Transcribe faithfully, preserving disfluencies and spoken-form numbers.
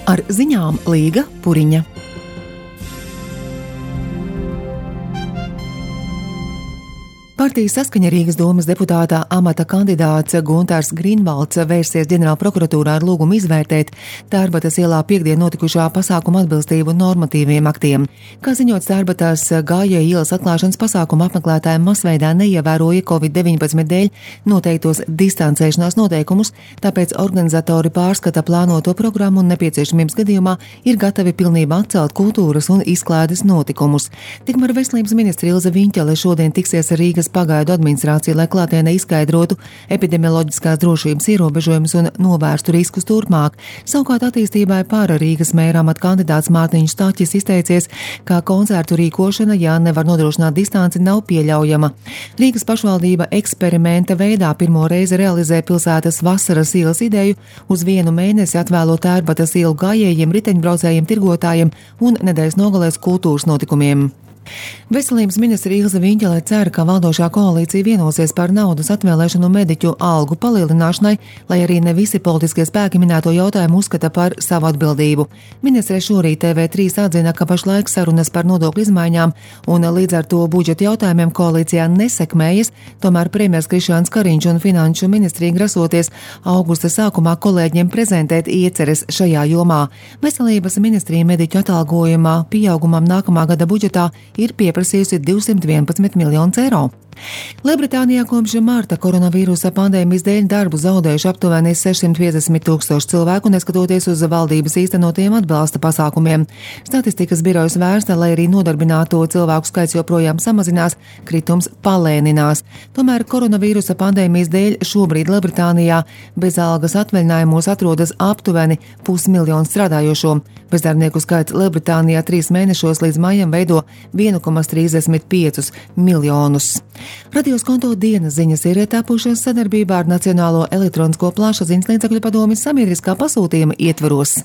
Ar ziņām Līga Puriņa. Partijas Saskaņa Rīgas domas deputātā amata kandidāts Guntārs Grīnvalds vērsies ģenerālprokuratūrā ar lūgumu izvērtēt Tērbatas ielā piekdien notikušā pasākuma atbilstību normatīviem aktiem. Kā ziņots, Tērbatas gājēju ielas atklāšanas pasākuma apmeklētājiem masveidā neievēroja covid deviņpadsmit dēļ noteiktos distancēšanās noteikumus, tāpēc organizatori pārskata plānoto programmu un nepieciešamības gadījumā ir gatavi pilnībā atcelt kultūras un izklaides notikumus. Tikmēr veselības ministre Ilze Viņķele šodien tiksies ar Rīgas pagaidu administrāciju, lai klātienē izskaidrotu epidemioloģiskās drošības ierobežojumus un novērstu riskus turpmāk. Savukārt attīstībai pāra Rīgas mēra amata kandidāts Mārtiņš Staķis izteicies, ka koncertu rīkošana, ja nevar nodrošināt distanci, nav pieļaujama. Rīgas pašvaldība eksperimenta veidā pirmo reizi realizē pilsētas vasaras ielas ideju, uz vienu mēnesi atvēlot Tērbatas ielu gājējiem, riteņbraucējiem, tirgotājiem un nedēļas nogalēs kultūras notikumiem. Veselības ministre Ilze Viņķele cer, ka valdošā koalīcija vienosies par naudas atvēlēšanu mediķu algu palielināšanai, lai arī ne visi politiskie spēki minēto jautājumu uzskata par savu atbildību. Ministre šorīt T V trīs atzina, ka pašlaik sarunas par nodokļu izmaiņām un līdz ar to budžeta jautājumiem koalīcijā nesekmējas, tomēr premjers Krišjāns Kariņš un finanšu ministrija grasoties augusta sākumā kolēģiem prezentēt ieceres šajā jomā. Veselības ministrija mediķu atalgojumā pieaugumam nākamā gada budžetā ir pieprasījusi divsimt vienpadsmit miljonus eiro. Lielbritānijā kopš marta koronavīrusa pandēmijas dēļ darbu zaudējuši aptuveni sešsimt piecdesmit tūkstoši cilvēku, neskatoties uz valdības īstenotiem atbalsta pasākumiem. Statistikas birojas vērsta, lai arī nodarbināto cilvēku skaits joprojām samazinās, kritums palēninās. Tomēr koronavīrusa pandēmijas dēļ šobrīd Lielbritānijā bez algas atvaļinājumos atrodas aptuveni pusmiljons strādājošo. Bezdarbnieku skaits Lielbritānijā trīs mēnešos līdz maijam veido viens komats trīsdesmit pieci miljonus. Radios konto dienas ziņas ir tapušas sadarbībā ar Nacionālo elektronisko plašsaziņas līdzekļu padomi sabiedriskā pasūtījuma ietvaros.